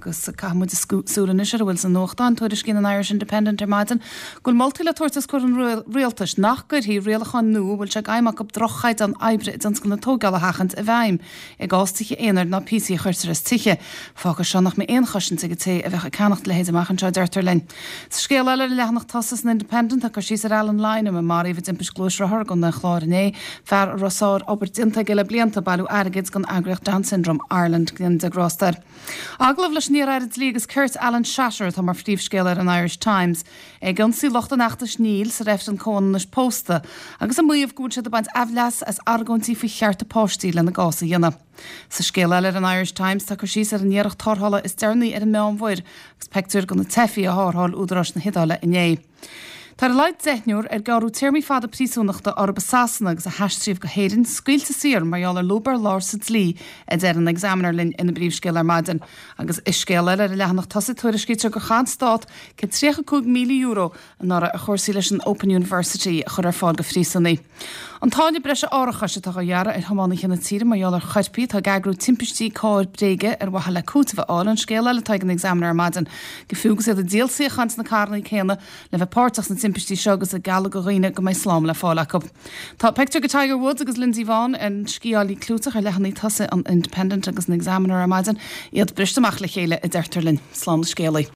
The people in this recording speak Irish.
Agus caithfidh muid súil anois ar a bhfuil sna nuachtáin. Tuairiscíonn an Irish Independent ar maidin go bhfuil moltaí le tabhairt os comhair an rialtais nach gcuirfí rialacháin nua a bhfuil sé d'aidhm acu droch-chaighdeán oibre i dtionscal na tóigeála a sheachaint i bhfeidhm i gcás tithe aonair ná píosaí a chuirtear as tithe. Fágfaidh seo nach mbeidh aon chosaint ag an té a bheadh ag ceannacht a leithéid amach anseo, a deirtear linn. Sa scéal eile ar an leathanach tosaigh san Independent tá cur síos ar Alan Lynam a maraíodh i dtimpist gluaisrothar i gContae an Chláir inné, fear a raibh sár-obair déanta aige le blianta ag bailiú airgid don eagraíocht Down Syndrome Ireland. Go ndéana Dia grásta air. Agallamh leis an iar-aire Dlí agus Cirt Alan Shatter atá mar phríomhscéal ar an Irish Times. É ag ionsaí lucht an fheachtais Níl sa reifreann comhionannais pósta agus ag maíomh go bhfuil siad ag baint aimhleas as argóintí faoi chearta páistí lena gcás a dhéanamh. Sa scéal eile ar an Irish Times tá cur síos ar an iarracht tarrthála is deireanaí ar an Meánmhuir agus peictiúir de na teifigh a tharrtháil údaráis na hIodáile inné. Tá ar a laghad deichniúr ar gearradh téarmaí fada príosúnachta orthu i Sasana agus a haistríodh go hÉirinn scaoilte saor mar gheall ar lúb ar lár sa dlí, a deir an Examiner linn ina bpríomhscéal ar maidin. Agus i scéal eile ar an leathanach tosaigh tuairiscítear gur chaith an Stát €135,000 anuraidh ar chúrsaí leis an Open University a chur ar fáil do phríosúnaigh. An táille breise árachais atá á ghearradh ar thiománaithe na tíre mar gheall ar choirpigh atá ag eagrú timpistí cairr bréige ar mhaithe le cúiteamh a fháil, an scéal eile atá ag an Examiner ar maidin. Go fiú agus iad ag díol suíocháin sna carranna céanna le bheith páirteach sna timpistí seo agus ag gealladh do dhaoine go mbeidh slám le fáil acu. Tá pictiúr de Tiger Woods agus Lindsey Vonn, an sciálaí clúiteach, ar leathanaigh tosaigh an Independent agus an Examiner ar maidin, iad briste amach le chéile, a deirtear linn. Slán le scéalaí.